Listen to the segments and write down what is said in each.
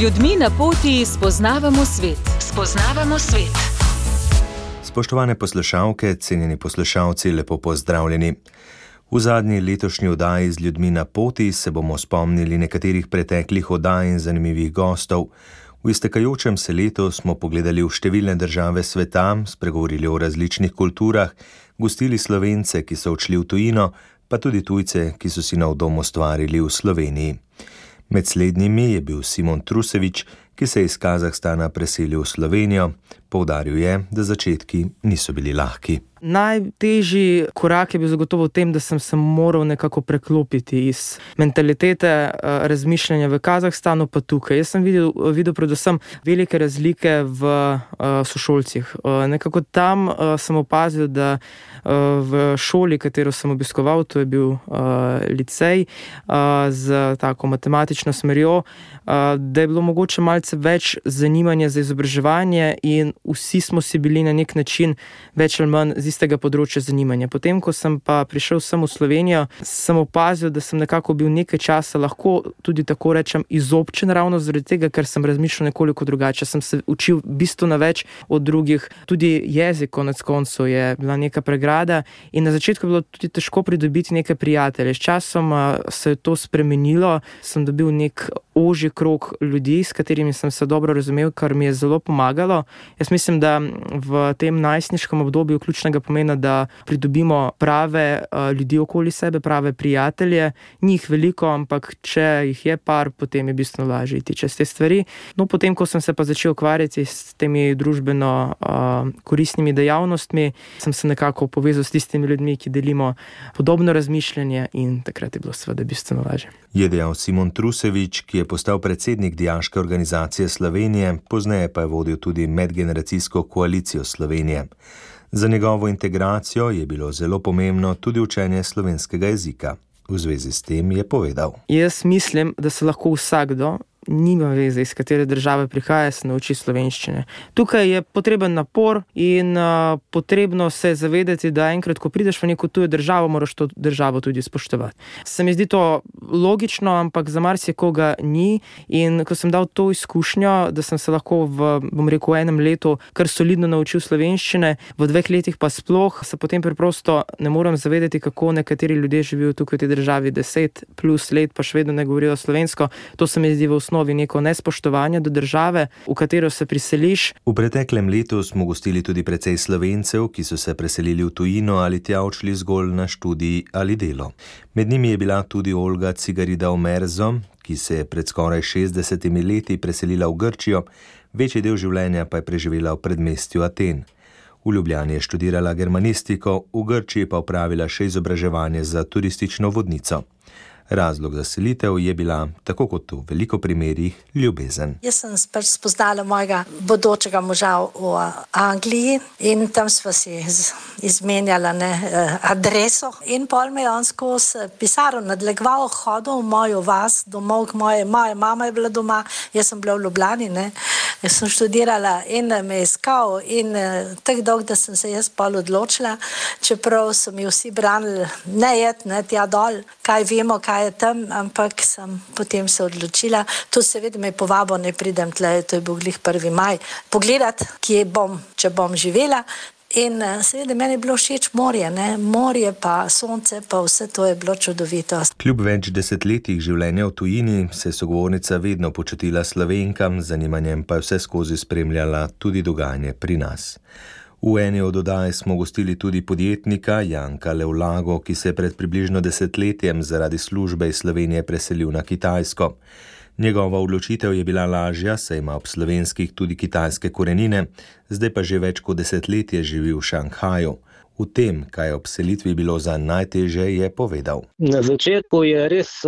ljudmi na poti spoznavamo svet. Spoznavamo svet. Spoštovane poslušalke, cenjeni poslušalci, lepo pozdravljeni. V zadnji letošnji oddaji z ljudmi na poti se bomo spomnili nekaterih preteklih oddaj in zanimivih gostov. V iztekajočem se letu smo pogledali v številne države sveta, spregovorili o različnih kulturah, gostili Slovence, ki so odšli v tujino, pa tudi tujce, ki so si nov dom ustvarili v Sloveniji. Med slednjimi je bil Simon Trusevič, ki se je iz Kazahstana preselil v Slovenijo. Poudaril je, da začetki niso bili lahki. Najtežji korak je bil zagotovo v tem, da sem se moral nekako preklopiti iz mentalitete razmišljanja v Kazahstanu pa tukaj. Jaz sem videl predvsem velike razlike v sošolcih. Nekako tam sem opazil, da v šoli, katero sem obiskoval, to je bil licej z tako matematično smerjo, da je bilo mogoče malce več zanimanja za izobraževanje in vsi smo si bili na nek način več ali manj z istega področja zanimanja. Potem, ko sem pa prišel sem v Slovenijo, sem opazil, da sem nekako bil nekaj časa lahko tudi tako rečem izobčen ravno zaradi tega, ker sem razmišljal nekoliko drugače. Sem se učil bistveno več od drugih. Tudi jezik konec koncev je bila neka pregrada in na začetku je bilo tudi težko pridobiti neke prijatelje. S časom se je to spremenilo, sem dobil nek ožji krog ljudi, s katerimi sem se dobro razumel, kar mi je zelo pomagalo. Jaz mislim, da v tem najstniškem obdobju ključnega pomena, da pridobimo prave ljudi okoli sebe, prave prijatelje. Njih veliko, ampak če jih je par, potem je bistveno lažje iti čez te stvari. No, potem, ko sem se pa začel ukvarjati s temi družbeno koristnimi dejavnostmi, sem se nekako povezal s tistimi ljudmi, ki delimo podobno razmišljanje in takrat je bilo seveda bistveno lažje. Je dejal Simon Trusevič, ki je postal predsednik Dijaške organizacije Slovenije, pozneje pa je vodil tudi medgeneracijsko koalicijo Slovenije. Za njegovo integracijo je bilo zelo pomembno tudi učenje slovenskega jezika. V zvezi s tem je povedal. Jaz mislim, da se lahko vsakdo, nima veze, iz katere države prihaja, se nauči slovenščine. Tukaj je potreben napor in potrebno se zavedati, da enkrat, ko prideš v neko tujo državo, moraš to državo tudi spoštovati. Se mi zdi to logično, ampak za marsikoga ni in ko sem dal to izkušnjo, da sem se lahko v enem letu kar solidno naučil slovenščine, v 2 letih pa sploh, se potem preprosto ne morem zavedati, kako nekateri ljudje živijo tukaj v tej državi 10+ let, pa še vedno ne govorijo slovensko. To se mi zdi v osnovi neko nespoštovanje do države, v katero se priseliš. V preteklem letu smo gostili tudi precej Slovencev, ki so se preselili v tujino ali tja odšli zgolj na študij ali delo. Med njimi je bila tudi Olga Cigarida Omerzo, ki se je pred skoraj 60 leti preselila v Grčijo, večji del življenja pa je preživela v predmestju Aten. V Ljubljani je študirala germanistiko, v Grčiji pa opravila še izobraževanje za turistično vodnico. Razlog za selitev je bila, tako kot v veliko primerih, ljubezen. Jaz sem spoznala mojega bodočega moža v Angliji in tam sva si izmenjala adreso. In pol me je on skozi pisarno nadlegoval, hodil v mojo vas, domov k moja mama je bila doma, jaz sem bila v Ljubljani, Jaz sem študirala in me je iskal in tako dolgo, da sem se jaz pol odločila, čeprav so mi vsi branili ne jet, tja dol, kaj vemo, kaj je tam, ampak sem potem se odločila. Tu seveda me je povabil, ne pridem tle, to je bil glih 1. maj, pogledat, kje bom, če bom živela. In seveda meni je bilo všeč morje, morje pa sonce, pa vse to je bilo čudovito. Kljub več desetletjih življenja v tujini se je sogovornica vedno počutila Slovenka, z zanimanjem pa je vse skozi spremljala tudi dogajanje pri nas. V eni od oddaj smo gostili tudi podjetnika Janka Levlago, ki se je pred približno 10 letjem zaradi službe iz Slovenije preselil na Kitajsko. Njegova odločitev je bila lažja, saj ima ob slovenskih tudi kitajske korenine, zdaj pa že več kot 10 let živi v Šanghaju. V tem, kaj je ob selitvi bilo za najtežje, je povedal. Na začetku je res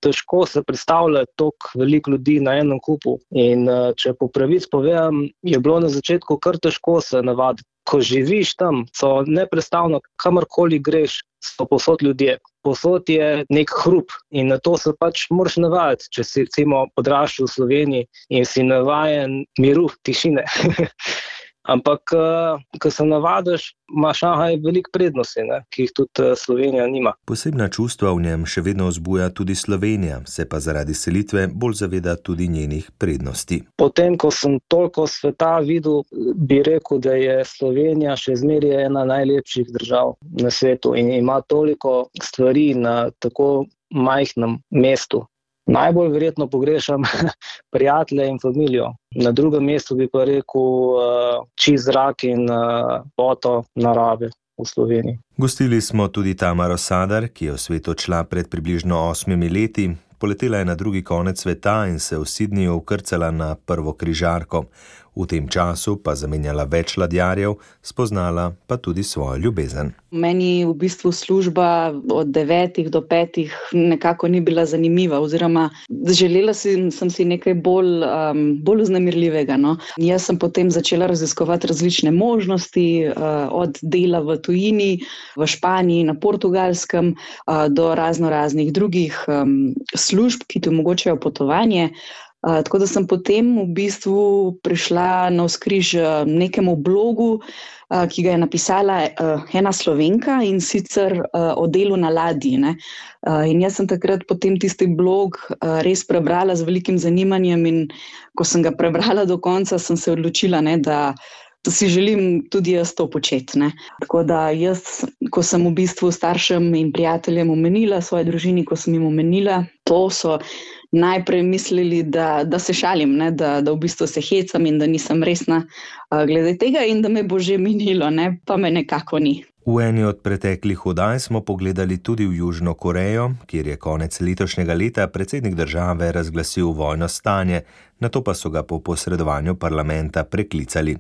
težko se predstavljati toliko veliko ljudi na enem kupu. In če po pravici povem, je bilo na začetku kar težko se navaditi. Ko živiš tam, so neprestavno, kamorkoli greš, so povsod ljudje. Povsod je nek hrup in na to se pač moraš navajati, če si recimo odraščal v Sloveniji in si navajen miru, tišine. Ampak, ko se navadiš, ima Šanghaj veliko prednosti, ne, ki jih tudi Slovenija nima. Posebna čustva v njem še vedno vzbuja tudi Slovenija, se pa zaradi selitve bolj zaveda tudi njenih prednosti. Potem, ko sem toliko sveta videl, bi rekel, da je Slovenija še zmeraj ena najlepših držav na svetu in ima toliko stvari na tako majhnem mestu. Najbolj verjetno pogrešam prijatelje in familijo. Na drugem mestu bi pa rekel čist zrak in lepoto narave v Sloveniji. Gostili smo tudi Tamaro Sadar, ki je v svet odšla pred približno 8 leti. Poletela je na drugi konec sveta in se v Sydneyju vkrcala na prvo križarko. V tem času pa zamenjala več ladjarjev, spoznala pa tudi svojo ljubezen. Meni v bistvu služba od 9 do 5 nekako ni bila zanimiva, oziroma želela sem si nekaj bolj vznemirljivega. No. Jaz sem potem začela raziskovati različne možnosti, od dela v tujini, v Španiji, na Portugalskem, do raznih drugih služb, ki ti omogočajo potovanje. Tako da sem potem v bistvu prišla navzkriž nekemu blogu, ki ga je napisala ena Slovenka, in sicer o delu na ladji. Ne. In jaz sem takrat potem tisti blog res prebrala z velikim zanimanjem, in ko sem ga prebrala do konca, sem se odločila, ne, da si želim tudi jaz to početi. Ne. Tako da jaz, ko sem v bistvu staršem in prijateljem omenila, svoji družini, ko sem jim omenila, to so najprej mislili, da se šalim, ne, da v bistvu se hecam in da nisem resna glede tega in da me bo že minilo, ne, pa me nekako ni. V eni od preteklih oddaj smo pogledali tudi v Južno Korejo, kjer je konec letošnjega leta predsednik države razglasil vojno stanje, nato pa so ga po posredovanju parlamenta preklicali.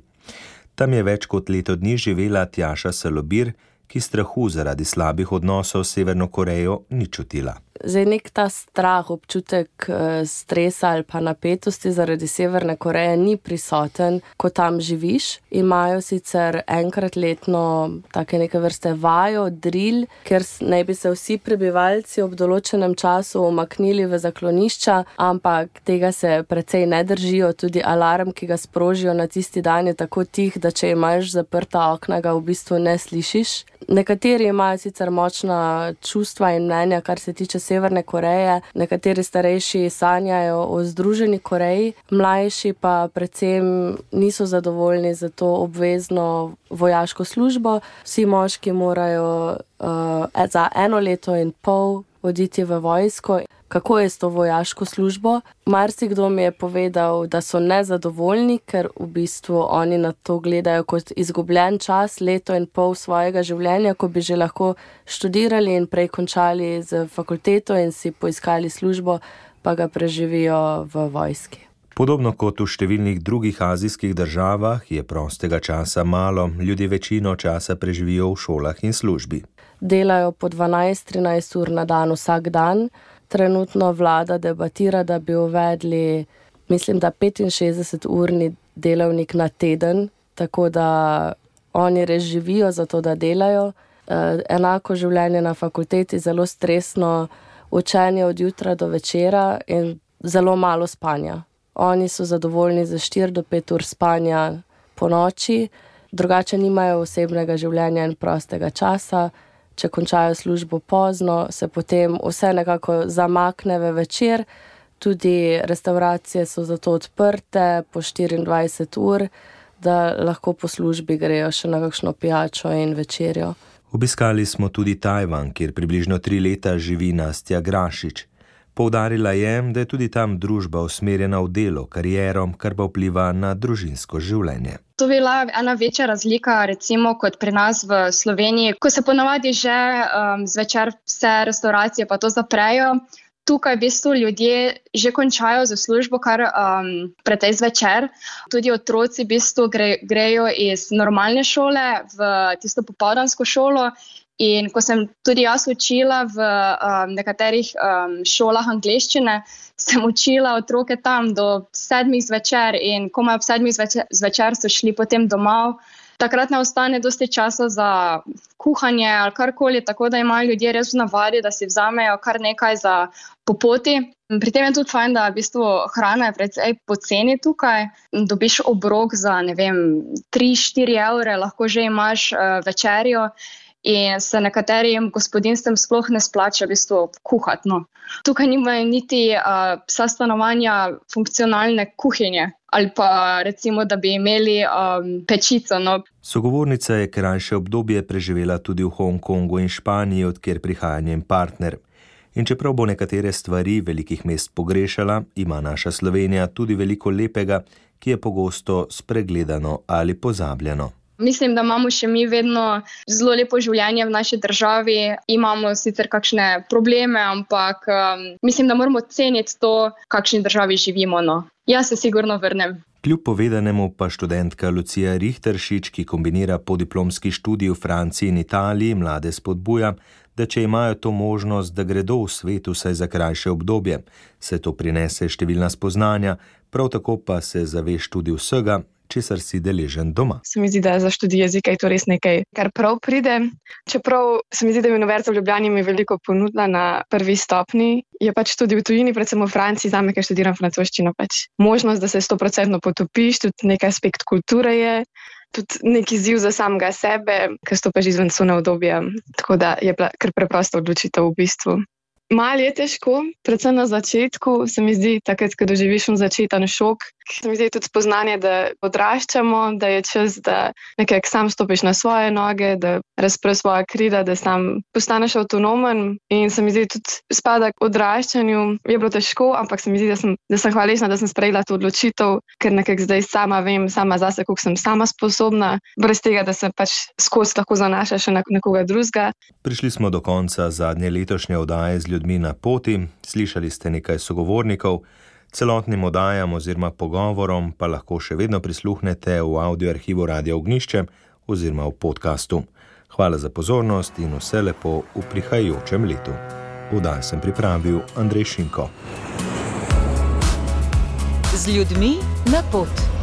Tam je več kot leto dni živela Tjaša Salobir, ki strahu zaradi slabih odnosov s Severno Korejo ni čutila. Zdaj nek ta strah, občutek stresa ali pa napetosti zaradi Severne Koreje ni prisoten, ko tam živiš. Imajo sicer enkrat letno take neke vrste vajo, drill, ker naj bi se vsi prebivalci ob določenem času umaknili v zaklonišča, ampak tega se precej ne držijo. Tudi alarm, ki ga sprožijo na tisti dan, je tako tih, da če imaš zaprta okna, ga v bistvu ne slišiš. Nekateri imajo sicer močna čustva in mnenja, kar se tiče Severne Koreje, nekateri starejši sanjajo o Združeni Koreji, mlajši pa predvsem niso zadovoljni za to obvezno vojaško službo. Vsi moški morajo za 1 leto in pol oditi v vojsko. Kako je s to vojaško službo? Marsikdo mi je povedal, da so nezadovoljni, ker v bistvu oni na to gledajo kot izgubljen čas, 1,5 leta svojega življenja, ko bi že lahko študirali in prej končali z fakulteto in si poiskali službo, pa ga preživijo v vojski. Podobno kot v številnih drugih azijskih državah je prostega časa malo, ljudje večino časa preživijo v šolah in službi. Delajo po 12-13 ur na dan vsak dan. Trenutno vlada debatira, da bi uvedli, mislim, da 65-urni delavnik na teden, tako da oni res živijo za to, da delajo. Enako življenje na fakulteti, zelo stresno, učenje od jutra do večera in zelo malo spanja. Oni so zadovoljni za 4 do 5 ur spanja po noči, drugače nimajo osebnega življenja in prostega časa. Če končajo službo pozno, se potem vse nekako zamakne v večer. Tudi restauracije so zato odprte po 24 ur, da lahko po službi grejo še na kakšno pijačo in večerjo. Obiskali smo tudi Tajvan, kjer približno 3 leta živi Nastja Grašič. Poudarila je, da je tudi tam družba usmerjena v delo, kariero, kar pa vpliva na družinsko življenje. To je bila ena večja razlika, recimo kot pri nas v Sloveniji, ko se ponavadi že zvečer vse restauracije pa to zaprejo. Tukaj v bistvu ljudje že končajo za službo kar pretej zvečer. Tudi otroci v bistvu grejo iz normalne šole v tisto popoldansko šolo. In ko sem tudi jaz učila v nekaterih šolah angleščine, sem učila otroke tam do 7 zvečer in komaj ob 7 zvečer so šli potem domov. takrat ne ostane dosti časa za kuhanje ali karkoli, tako da imajo ljudje res v navadi, da si vzamejo kar nekaj za po poti. Pri tem je tudi fajn, da v bistvu hrana je precej poceni tukaj. Dobiš obrok za, 3-4 evre, lahko že imaš večerjo in se nekaterim gospodinjstvem sploh ne splača v bistvu kuhati. No. Tukaj nimajo niti vsa stanovanja funkcionalne kuhinje ali pa recimo, da bi imeli pečico. No. Sogovornica je krajše obdobje preživela tudi v Hongkongu in Španiji, odkjer prihaja njen partner. In čeprav bo nekatere stvari velikih mest pogrešala, ima naša Slovenija tudi veliko lepega, ki je pogosto spregledano ali pozabljeno. Mislim, da imamo še mi vedno zelo lepo življenje v naši državi. Imamo sicer kakšne probleme, ampak mislim, da moramo ceniti to, v kakšni državi živimo. No. Jaz se sigurno vrnem. Kljub povedanemu pa študentka Lucija Richteršič, ki kombinira podiplomski študij v Franciji in Italiji, mlade spodbuja, da če imajo to možnost, da gredo v svet vsaj za krajše obdobje, se to prinese številna spoznanja, prav tako pa se zaveš tudi vsega, česar si deležen doma. Se mi zdi, da za študij jezika je to res nekaj, kar prav pride. Čeprav se mi zdi, da je Univerza v Ljubljani mi veliko ponudila na prvi stopni, je pač tudi v tujini, predvsem v Franciji, zame, ker študiram francoščino, pač možnost, da se 100% potopiš, tudi nek aspekt kulture je, tudi neki izziv za samega sebe, ker stopiš izven cone obdobja, tako da je bila kar preprosta odločitev v bistvu. Malo je težko, predvsem na začetku, se mi zdi, takrat, ko doživiš začeten šok. Se mi zdi tudi spoznanje, da odraščamo, da je čas, da nekako sam stopiš na svoje noge, da razpreš svoja krila, da sam postaneš avtonomen. In se mi zdi tudi spada k odraščanju. Je bilo težko, ampak se mi zdi, da sem hvaležna, da sem sprejela to odločitev, ker nekako zdaj sama vem, sama zase, koliko sem sama sposobna, brez tega, da se pač skozi lahko zanaša še na nekoga drugega. Prišli smo do konca zadnje letošnje oddaje z ljudmi na poti, slišali ste nekaj sogovornikov, celotnim oddajam oziroma pogovorom pa lahko še vedno prisluhnete v audioarhivu Radia Ognjišče oziroma v podkastu. Hvala za pozornost in vse lepo v prihajajočem letu. Oddajo sem pripravil Andrej Šinko. Z ljudmi na pot.